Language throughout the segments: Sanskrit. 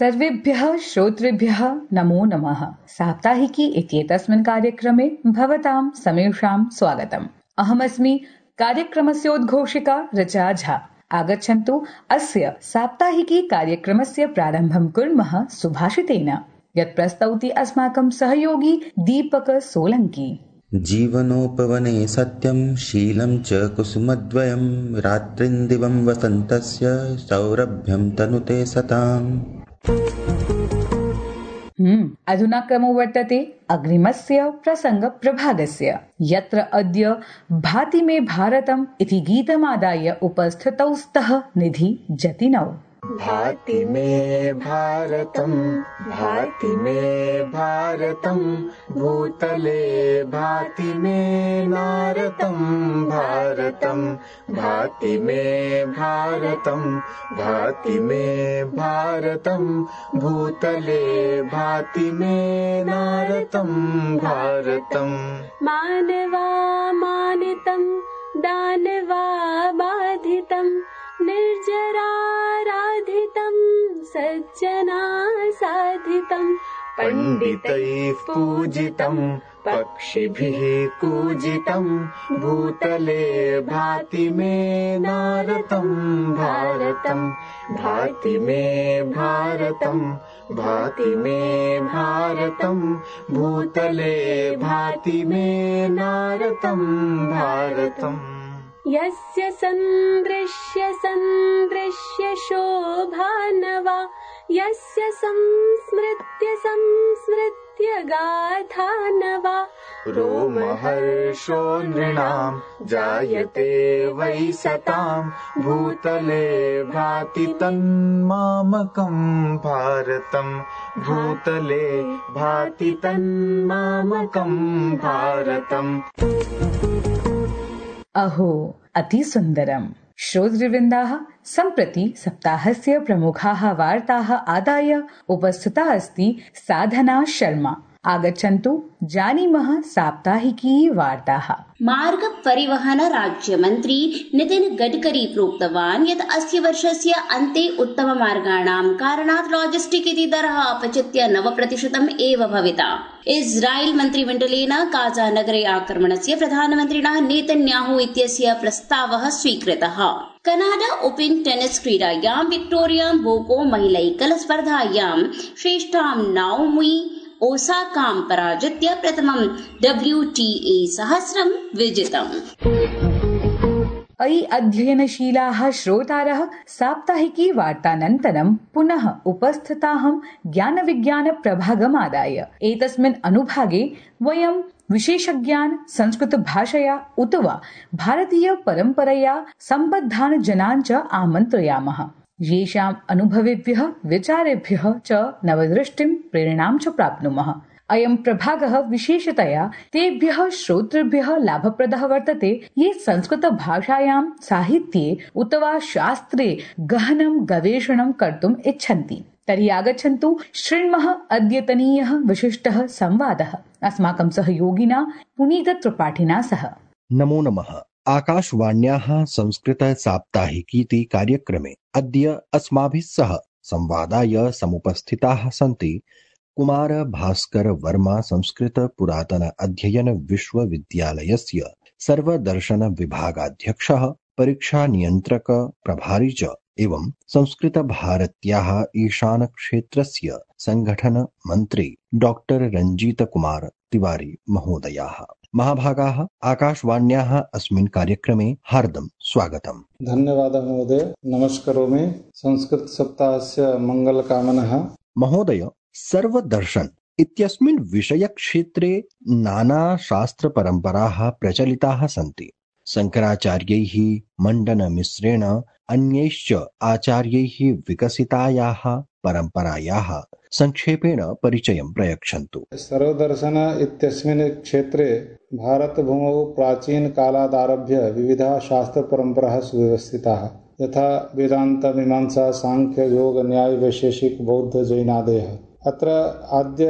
सर्वेभ्यः श्रोतृभ्यः नमो नमः। साप्ताहिकी इत्येतस्मिन् कार्यक्रमे भवतां समेषां स्वागतम्। अहमस्मि कार्यक्रमस्योद्घोषिका ऋचा झा। आगच्छन्तु अस्य साप्ताहिकी कार्यक्रमस्य प्रारम्भं कुर्मः सुभाषितेन, यत् प्रस्तौति अस्माकं सहयोगी दीपक सोलंकी। जीवनोपवने सत्यं शीलं च कुसुमद्वयं रात्रिन्दिवं वसन्तस्य सौरभ्यं तनुते सताम्। अधुना क्रमो वर्तते अग्रिमस्य प्रसङ्गप्रभागस्य, यत्र अद्य भाति मे भारतम् इति गीतमादाय उपस्थितौ स्तः निधि जतिनौ। भाति मे भारतम्, भाति मे भारतम्, भूतले भाति मे नारतम् भारतम्। भाति मे भारतम्, भाति मे भारतम्, भूतले भाति मे नारतम् भारतम्। मानवा मानितं दानवा बाधितं निर्जराराधितं सज्जना साधितं। पंडितैः पूजितं पक्षिभिः कूजितं भूतले भाति मे नारतं भारतम्। भाति मे भारतम्, भाति मे भारतम्, भूतले भाति मे नारतं भारतम्। यस्य सन्दृश्य सन्दृश्य शोभानवा, यस्य संस्मृत्य संस्मृत्य गाथानवा। रोमहर्षो नृणां जायते वै सतां भूतले भाति तन्मामकं भारतम्। भूतले भाति तन्मामकं भारतम्। अहो अति सुन्दरम्। श्रोतृवृन्दाः, सम्प्रति सप्ताहस्य प्रमुखाः वार्ताः आदाय उपस्थिता अस्ति साधना शर्मा। आगच्छन्तु जानीमः साप्ताहिकी वार्ताः। मार्ग परिवहन राज्य मंत्री नितिन गडकरी प्रोक्तवान् यत् अस्य वर्षस्य अन्ते उत्तममार्गाणां कारणात् लॉजिस्टिक इति दरः अपचित्य 9% एव भविता। इस्राएल मन्त्रिमण्डलेन गाजा नगरे आक्रमणस्य प्रधानमन्त्रिणः नेतन्याहु इत्यस्य प्रस्तावः स्वीकृतः। कनाडा ओपन टेनिस क्रीडायां विक्टोरिया बोको महिलैकल स्पर्धायां श्रेष्ठां नाओमी ओसाकां पराजित्य प्रथमं WTA 1000 विजितम्। अयि अध्ययनशीलाः श्रोतारः, साप्ताहिकी वार्तानन्तरं पुनः उपस्थिताहं ज्ञानविज्ञान प्रभागमादाय। एतस्मिन् अनुभागे वयं विशेषज्ञान् संस्कृत भाषया उत वा भारतीय परम्परया सम्बद्धान् जनान् च आमन्त्रयामः, येषाम् अनुभवेभ्यः विचारेभ्यः च नवदृष्टिं प्रेरणां च प्राप्नुमः। अयं प्रभागः विशेषतया तेभ्यः श्रोतृभ्यः लाभप्रदः वर्तते ये संस्कृत भाषायां साहित्ये उत वा शास्त्रे गहनं गवेषणं कर्तुम् इच्छन्ति। तर्हि आगच्छन्तु शृण्मः अद्यतनीयः विशिष्टः संवादः अस्माकं सहयोगिना पुनीत त्रिपाठिना सह। नमो नमः। आकाशवाण्याः संस्कृत साप्ताहिकीति कार्यक्रमे अद्य अस्माभिः सह संवादाय समुपस्थिताः सन्ति कुमार भास्कर वर्मा संस्कृत पुरातन अध्ययन विश्वविद्यालयस्य सर्वदर्शन विभागाध्यक्षः, परीक्षा नियन्त्रक प्रभारी च एवं संस्कृत भारत्याः ईशान क्षेत्रस्य संगठन मन्त्री डॉक्टर रंजीत कुमार तिवारी महोदयाः। महाभागाः, आकाशवाण्याः अस्मिन् कार्यक्रमे हार्दं स्वागतम्। धन्यवादः महोदय। नमस्करोमि। संस्कृत सप्ताहस्य मङ्गलकामनः। महोदय, सर्वदर्शन इत्यस्मिन् विषयक्षेत्रे नाना शास्त्रपरम्पराः प्रचलिताः सन्ति। शङ्कराचार्यैः, मण्डनमिश्रेण अन्यैश्च आचार्यैः विकसितायाः परम्परायाः संक्षेपेण परिचयं प्रयच्छन्तु। सर्वदर्शन इत्यस्मिन् क्षेत्रे भारतभूमौ प्राचीनकालादारभ्य विविधाः शास्त्रपरम्पराः सुव्यवस्थिताः, यथा वेदान्त, मीमांसा, सांख्य, योग, न्याय, वैशेषिक, बौद्ध, जैनादयः। अत्र आद्य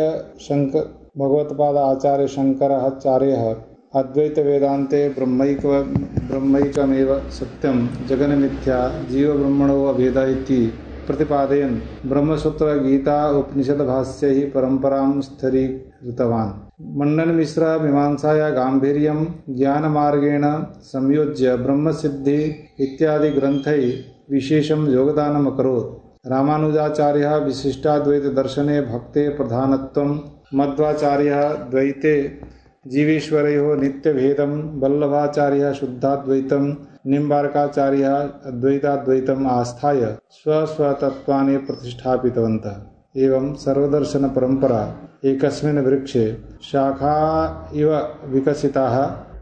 भगवत्पाद आचार्य शङ्कराचार्यः अद्वैत वेदान्ते ब्रह्मैकमेव सत्यं जगन्मिथ्या जीवब्रह्मणो अभेदः इति प्रतिपादयन् ब्रह्मसूत्र गीता उपनिषद्भाष्यैः परम्परां स्थिरीकृतवान्। मण्डनमिश्रः मीमांसाया गाम्भीर्यं ज्ञानमार्गेण संयोज्य ब्रह्मसिद्धि इत्यादि ग्रन्थैः विशेषं योगदानम् अकरोत्। रामानुजाचार्यः विशिष्टाद्वैतदर्शने भक्ते प्रधानत्वं, मध्वाचार्यः द्वैते जीवेश्वरयोः नित्यभेदं, वल्लभाचार्यः शुद्धाद्वैतं, निम्बार्काचार्यः अद्वैताद्वैतम् आस्थाय स्वस्वतत्त्वानि प्रतिष्ठापितवन्तः। एवं सर्वदर्शनपरम्परा एकस्मिन् वृक्षे शाखा इव विकसिताः,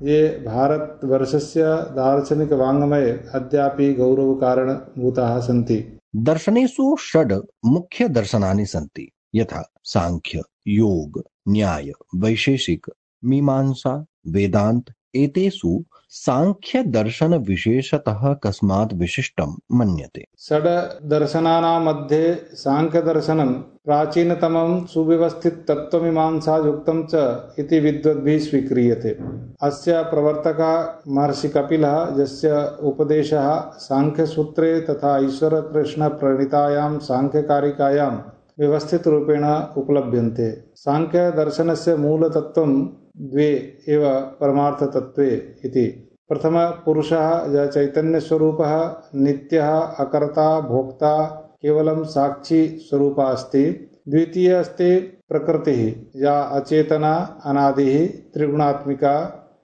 ये भारतवर्षस्य दार्शनिकवाङ्मये अद्यापि गौरवकारणभूताः सन्ति। दर्शनेषु षड् मुख्य दर्शनानि सन्ति, यथा सांख्य, योग, न्याय, वैशेषिक, मीमांसा, वेदांत। एतेषु सांख्य दर्शन विशेषतः कस्मात् विशिष्टं मन्यते? षड् दर्शनानां मध्ये सांख्यदर्शनं प्राचीनतमं सुव्यवस्थित तत्त्वमीमांसायुक्तं च इति विद्वद्भिः स्वीक्रियते। अस्य प्रवर्तकः महर्षि कपिलः, यस्य उपदेशः सांख्यसूत्रे तथा ईश्वरकृष्णप्रणीतायां सांख्यकारिकायां व्यवस्थितरूपेण उपलभ्यन्ते। सांख्यदर्शनस्य मूलतत्त्वं द्वे एव परमार्थतत्त्वे इति। प्रथमः पुरुषः यः चैतन्यस्वरूपः नित्यः अकर्ता भोक्ता केवलं साक्षी स्वरूपः अस्ति। द्वितीयः अस्ति प्रकृतिः, या अचेतना अनादिः त्रिगुणात्मिका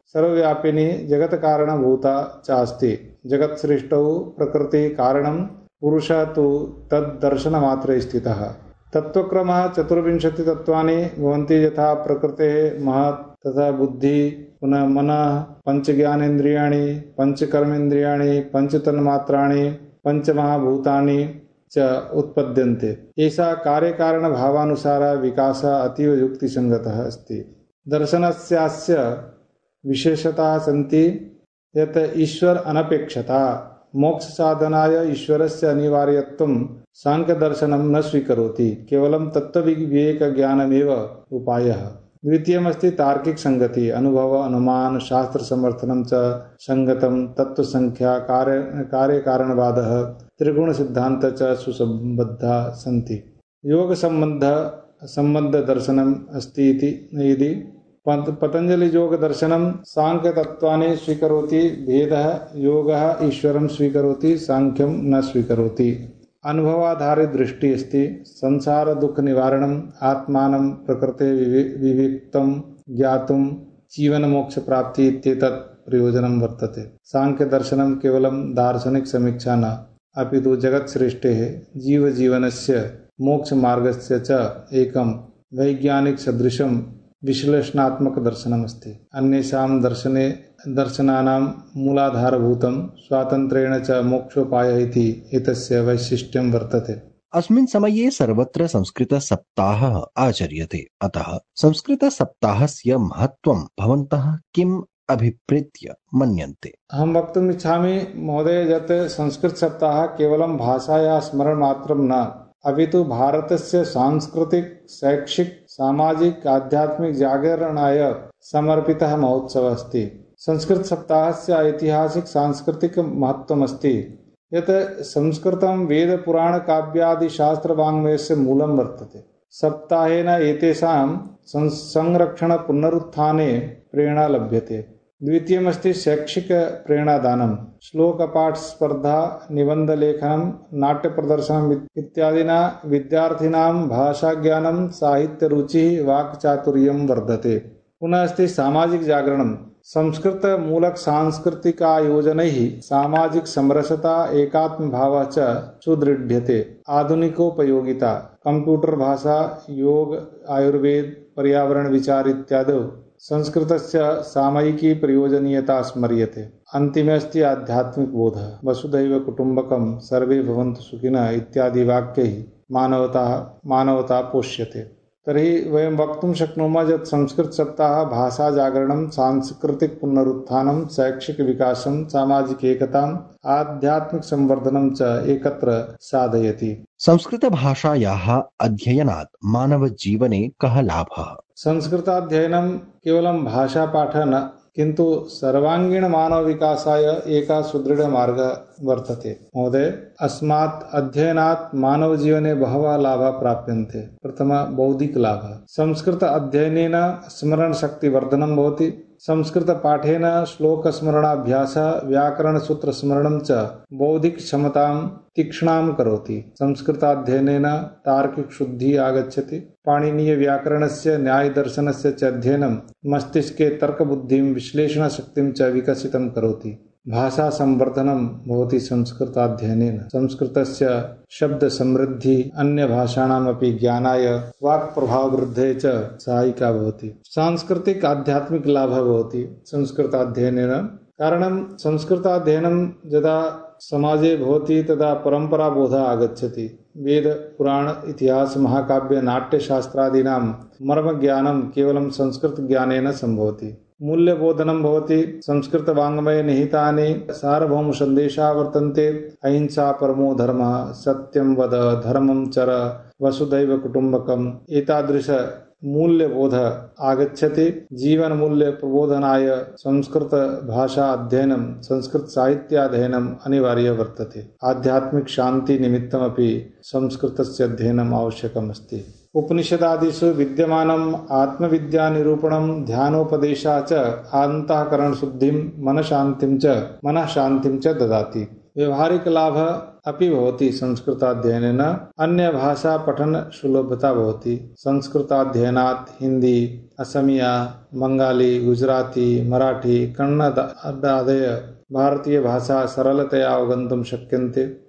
सर्वव्यापिनी जगत्कारणभूता च अस्ति। जगत्सृष्टौ प्रकृतिः कारणं, पुरुषः तु तद्दर्शनमात्रे स्थितः। तत्त्वक्रमः 24 तत्त्वानि भवन्ति, यथा प्रकृतेः महत् तथा बुद्धि, पुनः मनः, पंचज्ञानेन्द्रियाणि, पंचकर्मेन्द्रियाणि, पंचतन्मात्राणि, पंचमहाभूतानि च उत्पद्यन्ते। एषा कार्यकारणभावानुसारः विकासः अतीव युक्तिसङ्गतः अस्ति। दर्शनस्यास्य विशेषताः सन्ति यत् ईश्वर अनपेक्षता, मोक्षसाधनाय ईश्वरस्य अनिवार्यत्वं सांख्यदर्शनं न स्वीकरोति, केवलं तत्त्वविवेकज्ञानमेव उपायः। द्वितीयमस्ति तार्किक संगति, अनुभव, अनुमान, शास्त्र समर्थनं च संगतं, तत्त्वसंख्या, कार्यकारणवादः, त्रिगुण सिद्धान्त च सुसम्बद्धा सन्ति। योग संबद्ध दर्शनम् अस्ति इति पतंजलि योग दर्शनं सांख्य तत्त्वानि स्वीकरोति, भेदः योगः ईश्वरं स्वीकरोति, सांख्यं न स्वीकरोति। अनुभवाधारित दृष्टि अस्ति। संसार दुख निवारणम्, आत्मानं प्रकृते विविक्तं ज्ञातुं, जीवन मोक्ष प्राप्ति इत्येतत् प्रयोजनं वर्तते। सांख्य दर्शनं केवलं दार्शनिक समीक्षा न, अपितु जगत्सृष्टेः जीवजीवनस्य मोक्षमार्गस्य च एकं वैज्ञानिक सदृशं विश्लेषणात्मक दर्शनमस्ति। अन्येषां दर्शनानां मूलाधारभूतं स्वातन्त्र्येण च मोक्षोपायः इति एतस्य वैशिष्ट्यं वर्तते। अस्मिन् समये सर्वत्र संस्कृतसप्ताहः आचर्यते, अतः संस्कृतसप्ताहस्य महत्त्वं भवन्तः किम् अभिप्रेत्य मन्यन्ते? अहं वक्तुम् इच्छामि महोदय, यत् संस्कृतसप्ताहः केवलं भाषायाः स्मरणमात्रं न, अपितु भारतस्य सांस्कृतिक, शैक्षिक, सामाजिक, आध्यात्मिक जागरणाय समर्पितः महोत्सवः अस्ति। संस्कृतसप्ताहस्य ऐतिहासिक सांस्कृतिक महत्त्वमस्ति यत् संस्कृतं वेदपुराणकाव्यादि शास्त्रवाङ्मयस्य मूलं वर्तते। सप्ताहेन एतेषां संरक्षण पुनरुत्थाने प्रेरणा लभ्यते। द्वितीयमस्ति शैक्षिक प्रेरणादानं, श्लोकपाठ स्पर्धा, निबन्धलेखनं, नाट्यप्रदर्शनम् इत्यादिना विद्यार्थिनां भाषाज्ञानं, साहित्यरुचिः, वाक्चातुर्यं वर्धते। पुनः अस्ति सामाजिक जागरणं, संस्कृत मूलक सांस्कृतिकायोजनैः सामाजिक समरसता, एकात्मभावः च सुदृढ्यते। आधुनिकोपयोगिता, कंप्यूटर भाषा, योग, आयुर्वेद, पर्यावरण विचार इत्यादौ संस्कृतस्य सामयिकी प्रयोजनीयता स्मर्यते। अन्तिमे अस्ति आध्यात्मिक बोधः, वसुधैव कुटुम्बकं, सर्वे भवन्तु सुखिनः इत्यादि वाक्यैः मानवता पोष्यते। तर्हि वयं वक्तुं शक्नुमः यत् संस्कृतसप्ताहः भाषाजागरणं, सांस्कृतिक पुनरुत्थानं, शैक्षिक विकासं, सामाजिक एकताम्, आध्यात्मिक संवर्धनं च एकत्र साधयति। संस्कृतभाषायाः अध्ययनात् मानवजीवने कः लाभः? संस्कृताध्ययनं केवलं भाषापाठः न, किन्तु सर्वाङ्गीण मानव विकासाय एकः सुदृढमार्गः वर्तते। महोदय, अस्मात् अध्ययनात् मानव जीवने बहवः लाभाः प्राप्यन्ते। प्रथमः बौद्धिक लाभः। संस्कृत अध्ययनेन स्मरणशक्तिवर्धनं भवति। संस्कृतपाठेन श्लोकस्मरणाभ्यासः व्याकरणसूत्रस्मरणं च बौद्धिकक्षमतां तीक्ष्णां करोति। संस्कृताध्ययनेन तार्किकशुद्धिः आगच्छति। पाणिनीयव्याकरणस्य न्यायदर्शनस्य च अध्ययनं मस्तिष्के तर्कबुद्धिं विश्लेषणशक्तिं च विकसितं करोति। भाषासंवर्धनं भवति संस्कृताध्ययनेन। संस्कृतस्य शब्दसमृद्धिः अन्यभाषाणामपि ज्ञानाय वाक्प्रभाववृद्धये च सहायिका भवति। सांस्कृतिक आध्यात्मिक लाभः भवति संस्कृताध्ययनेन। कारणं संस्कृताध्ययनं यदा समाजे भवति तदा परम्पराबोधः आगच्छति। वेद, पुराण, इतिहास, महाकाव्य, नाट्यशास्त्रादीनां मर्मज्ञानं केवलं संस्कृतज्ञानेन सम्भवति। मूल्यबोधनं भवति। संस्कृतवाङ्मये निहितानि सार्वभौमसन्देशाः वर्तन्ते। अहिंसा परमो धर्मः, सत्यं वद, धर्मं चर, वसुधैव कुटुम्बकम्। एतादृश मूल्यबोध आगच्छति। जीवनमूल्य प्रबोधनाय संस्कृतभाषा अध्ययनं, संस्कृतसाहित्याध्ययनम् अनिवार्यं वर्तते। आध्यात्मिक शान्ति निमित्तमपि संस्कृतस्य अध्ययनम् आवश्यकम् अस्ति। उपनिषदादिषु विद्यमानम् आत्मविद्यानिरूपणं, ध्यानोपदेशः च अन्तःकरणशुद्धिं, मनःशान्तिं च ददाति। व्यवहारिक लाभः अपि भवति संस्कृताध्ययनेन। अन्यभाषा पठन सुलभता भवति। संस्कृताध्ययनात् हिंदी, असमिया, बंगाली, गुजराती, मराठी, कन्नडादय भारतीयभाषा सरलतया अवगन्तुं शक्यन्ते।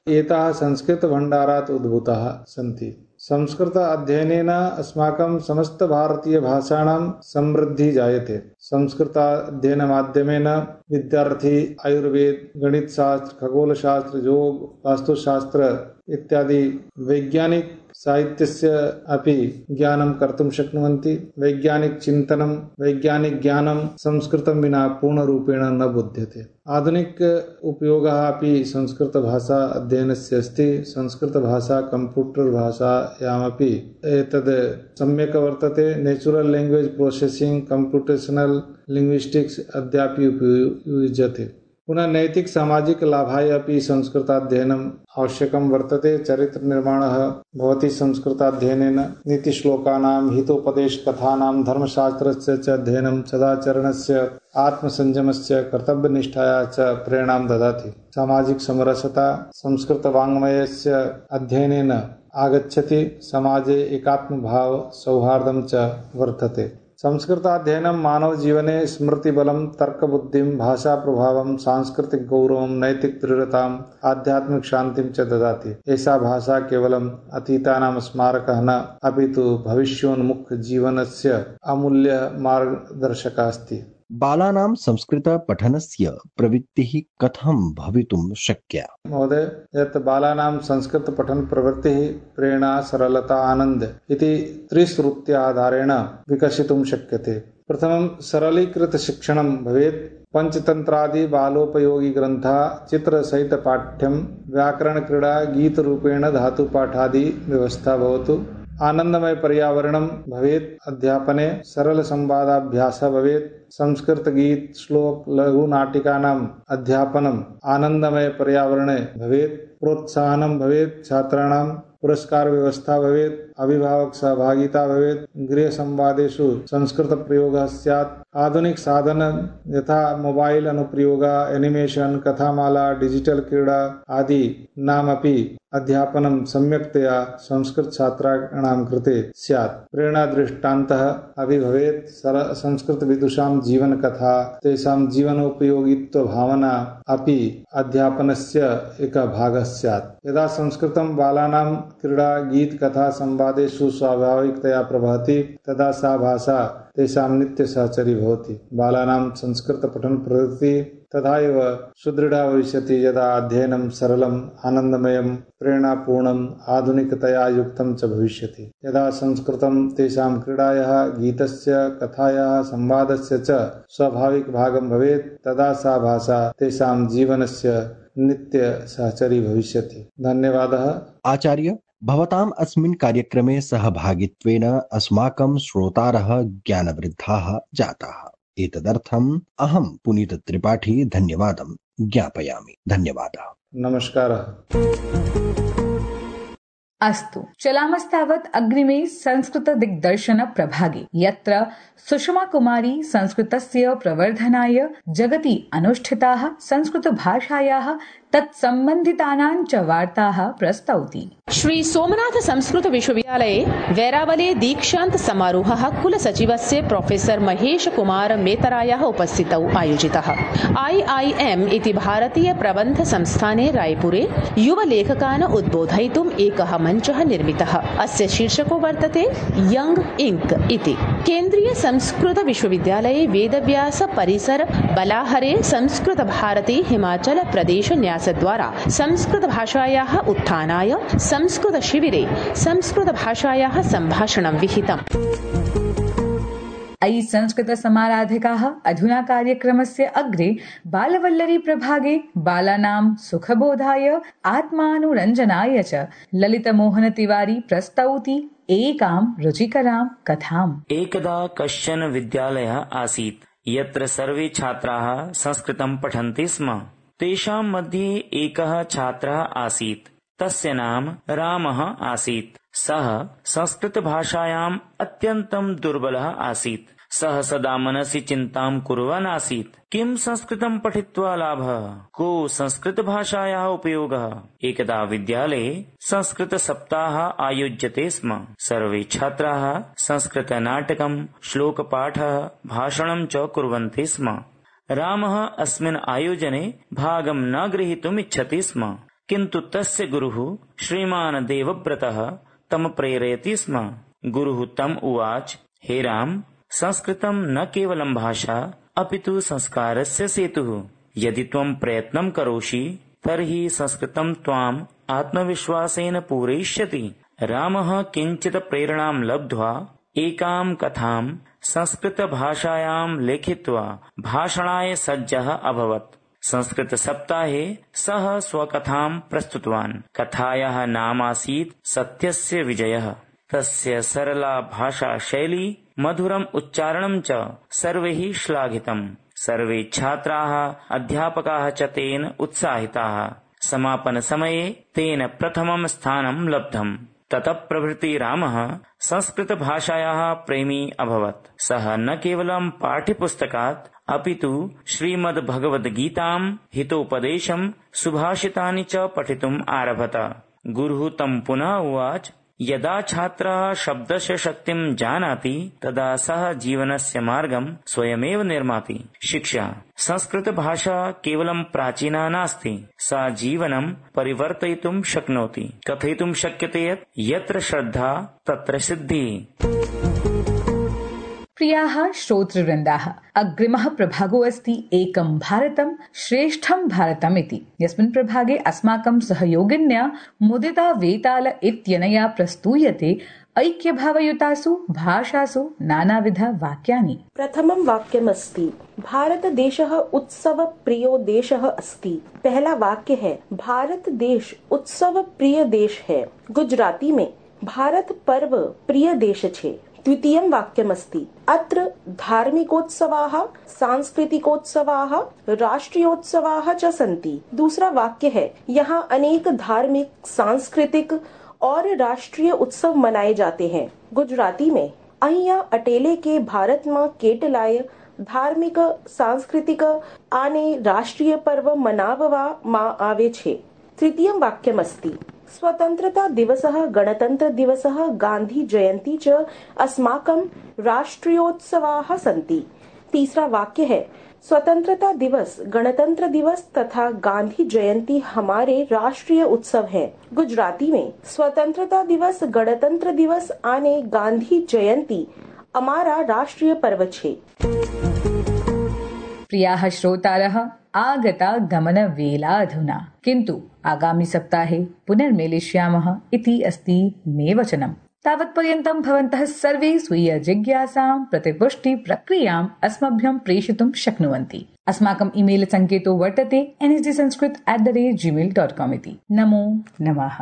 एताः संस्कृतभण्डारात् उद्भूताः सन्ति। संस्कृत अध्ययनेन अस्माकं समस्त भारतीय भाषाणां समृद्धिः जायते। संस्कृताध्ययनमाध्यमेन विद्यार्थी आयुर्वेद, गणितशास्त्र, खगोलशास्त्र, योग, वास्तुशास्त्र इत्यादि वैज्ञानिक साहित्यस्य अपि ज्ञानं कर्तुं शक्नुवन्ति। वैज्ञानिक चिन्तनं, वैज्ञानिक ज्ञानं संस्कृतं विना पूर्णरूपेण न बुध्यते। आधुनिक उपयोगः अपि संस्कृतभाषा अध्ययनस्य अस्ति। संस्कृतभाषा कम्प्यूटर् भाषायामपि एतद् सम्यक् वर्तते। Natural language processing, computational linguistics अद्यापि उपयुज्यते। पुनः नैतिक सामाजिक लाभाय अपि संस्कृताध्ययनम् आवश्यकं वर्तते। चरित्र निर्माणः भवति संस्कृताध्ययनेन। नीतिश्लोकानां, हितोपदेशकथानां, धर्मशास्त्रस्य च अध्ययनं सदाचरणस्य, आत्मसंयमस्य, कर्तव्यनिष्ठाया च प्रेरणां ददाति। सामाजिक समरसता संस्कृतवाङ्मयस्य अध्ययनेन आगच्छति। समाजे एकात्मभाव, सौहार्दं च वर्धते। संस्कृताध्ययनं मानव जीवने स्मृतिबलं, तर्कबुद्धिं, भाषाप्रभावं, सांस्कृतिक गौरवं, नैतिक दृढताम्, आध्यात्मिक शान्तिं च ददाति। एषा भाषा केवलम् अतीतानां स्मारकः न, अपि तु भविष्योन्मुख जीवनस्य अमूल्य मार्गदर्शकः अस्ति। बालानां संस्कृत पठनस्य प्रवृत्तिः कथं भवितुं शक्या? महोदय, यत् बालानां संस्कृत पठन प्रवृत्तिः प्रेरणा, सरलता, आनंद इति त्रिश्रुत्याधारेण विकसितुं शक्यते। प्रथमं सरलीकृत शिक्षणं भवेत्। पंचतंत्रादि बालोपयोगी ग्रंथः, चित्रसहित पाठ्यं, व्याकरण क्रीडा, गीतरूपेण धातुपाठादि व्यवस्था भवतु। आनंदमय पर्यावरणं भवेत्। अध्यापने सरल संवादाभ्यासः भवेत्। संस्कृत गीत, श्लोक, लघु नाटिकानाम् अध्यापनम् आनंदमय पर्यावरणे भवेत्। प्रोत्साहनं भवेत्। छात्राणां पुरस्कार व्यवस्था भवेत्। अभिभावक सहभागिता भवेत्। गृह संवादेषु संस्कृत प्रयोगः स्यात्। आधुनिक साधन यथा मोबाइल अनुप्रयोगः, एनिमेशन, कथामाला, डिजिटल क्रीडा आदि नामपि अध्यापनं सम्यक्तया संस्कृत छात्राणां कृते स्यात्। प्रेरणा दृष्टान्तः अपि भवेत्। संस्कृत विदुषां जीवन कथा, तेषां जीवनोपयोगित्व भावना अपि अध्यापनस्य एकः भागः स्यात्। यदा संस्कृतं बालानां क्रीडा, गीत, कथा, संवादेषु स्वाभाविकतया प्रवहति, तदा सा भाषा तेषां नित्य सहचरी भवति। बालानां संस्कृत पठन प्रवृत्ति तथा एव सुदृढ़ा भविष्यति यदा अध्ययनं सरलम्, आनन्दमयं, प्रेरणापूर्णम्, आधुनिकतया युक्तं च भविष्यति। यदा संस्कृतं तेषां क्रीडायाः, गीतस्य, कथायाः, संवादस्य च स्वाभाविक भागं भवेत्, तदा सा भाषा तेषां जीवनस्य नित्य सहचरी भविष्यति। धन्यवादः। आचार्य, भवताम् अस्मिन् कार्यक्रमे सहभागित्वेन अस्माकं श्रोतारः ज्ञानवृद्धाः जाताः। एतदर्थम् अहं पुनीत त्रिपाठी धन्यवादं ज्ञापयामि। धन्यवादः। नमस्कारः। अस्तु, चलामस्तावत् अग्रिमे संस्कृत दिग्दर्शन प्रभागे, यत्र सुषमा कुमारी संस्कृतस्य प्रवर्धनाय जगति अनुष्ठिताः संस्कृत भाषायाः तत्सम्बन्धितानां च वार्ताः प्रस्तौति। श्री सोमनाथ संस्कृत विश्वविद्यालये वैरावले दीक्षान्त समारोहः कुलसचिवस्य प्रोफेसर महेश कुमार मेतरायाः उपस्थितौ आयोजितः। IIM इति भारतीय प्रबन्ध संस्थाने रायपुरे युवलेखकान् उद्बोधयितुम् एकः मञ्चः निर्मितः। अस्य शीर्षको वर्तते यंग इंक इति। केन्द्रीय संस्कृत विश्वविद्यालये वेदव्यास परिसर बलाहरे संस्कृत भारती हिमाचल प्रदेश न्यासद्वारा संस्कृत भाषायाः उत्थानाय संस्कृत शिविरे संस्कृत भाषायाः सम्भाषणं विहितम्। अयि संस्कृत समाराधिकाः अधुना कार्यक्रमस्य अग्रे बालवल्लरी प्रभागे बालानां सुखबोधाय आत्मानुरञ्जनाय च ललितमोहन तिवारी प्रस्तौति एकां रुचिकरां कथाम्। एकदा कश्चन विद्यालयः आसीत् यत्र सर्वे छात्राः संस्कृतं पठन्ति स्म। तेषां मध्ये एकः छात्रः आसीत्, तस्य नाम रामः आसीत्। सः संस्कृतभाषायाम् अत्यन्तं दुर्बलः आसीत्। सः सदा मनसि चिन्तां कुर्वन् आसीत्, किं संस्कृतं पठित्वा लाभः, को संस्कृतभाषायाः उपयोगः। एकदा विद्यालये संस्कृतसप्ताहः आयोज्यते स्म। सर्वे छात्राः संस्कृतनाटकं, श्लोकपाठः, भाषणं च कुर्वन्ति स्म। रामः अस्मिन् आयोजने भागं न ग्रहीतुम् इच्छति स्म, किन्तु तस्य गुरुः श्रीमान् देवव्रतः तं प्रेरयति स्म। गुरुः तम् उवाच, हे राम, संस्कृतं न केवलं भाषा अपितु संस्कारस्य सेतुः। यदि त्वं प्रयत्नं करोषि तर्हि संस्कृतं त्वाम् आत्मविश्वासेन पूरयिष्यति। रामः किञ्चित् प्रेरणां लब्ध्वा एकां कथां संस्कृतभाषायां लिखित्वा भाषणाय सज्जः अभवत्। संस्कृतसप्ताहे सः स्वकथां प्रस्तुतवान्। कथायाः नाम आसीत् सत्यस्य विजयः। तस्य सरला भाषाशैली, मधुरम् उच्चारणं च सर्वैः श्लाघितम्। सर्वे छात्राः, अध्यापकाः च तेन उत्साहिताः। समापनसमये तेन प्रथमं स्थानं लब्धम्। ततः प्रभृति रामः संस्कृतभाषायाः प्रेमी अभवत्। सः न केवलं पाठ्यपुस्तकात् अपितु श्रीमद्भगवद्गीतां, हितोपदेशं, सुभाषितानि च पठितुम् आरभत। गुरुः तं पुनः उवाच, यदा छात्रः शब्दस्य शक्तिं जानाति तदा सः जीवनस्य मार्गं स्वयमेव निर्माति। शिक्षा संस्कृतभाषा केवलं प्राचीना नास्ति, सा जीवनं परिवर्तयितुं शक्नोति। कथयितुं शक्यते यत् यत्र श्रद्धा तत्र सिद्धिः। प्रियाः श्रोतृवृन्दाः, अग्रिमः प्रभागो अस्ति एकं भारतं श्रेष्ठं भारतम् इति। यस्मिन् प्रभागे अस्माकं सहयोगिन्या मुदिता वेताल इत्यनया प्रस्तूयते ऐक्यभावयुतासु भाषासु नानाविध वाक्यानि। प्रथमं वाक्यमस्ति, भारतदेशः उत्सव प्रियो देशः अस्ति। पहला वाक्य है, भारत देश उत्सव प्रिय देश है। गुजराती में भारत पर्व प्रिय देश छे। द्वितीयं वाक्यमस्ति, अत्र धार्मिकोत्सवाः, सांस्कृतिकोत्सवाः, राष्ट्रीयोत्सवाः च सन्ति। दूसरा वाक्य है, यहाँ अनेक धार्मिक, सांस्कृतिक और राष्ट्रीय उत्सव मनाए जाते हैं। गुजराती में अहिया अटेले के भारत में केटलाय धार्मिक, सांस्कृतिक आने राष्ट्रीय पर्व मनाववा मा आवे छे। तृतीयं वाक्यमस्ति, स्वतंत्रता दिवसः, गणतंत्र दिवसः, गांधी जयंती च अस्माकं राष्ट्रीयोत्सवाः सन्ति। तीसरा वाक्य है, स्वतंत्रता दिवस, गणतंत्र दिवस तथा गांधी जयंती हमारे राष्ट्रीय उत्सव हैं। गुजराती में स्वतंत्रता दिवस, गणतंत्र दिवस आने गांधी जयंती हमारा राष्ट्रीय पर्व छे। प्रियाः श्रोतारः, आगता गमनवेला अधुना, किन्तु आगामि सप्ताहे पुनर्मेलिष्यामः इति अस्ति मे वचनम्। तावत्पर्यन्तं भवन्तः सर्वे स्वीय जिज्ञासां प्रतिपुष्टि प्रक्रियाम् अस्मभ्यं प्रेषितुं शक्नुवन्ति। अस्माकम् ईमेल सङ्केतो वर्तते nsdsanskrit@gmail.com इति। नमो नमः।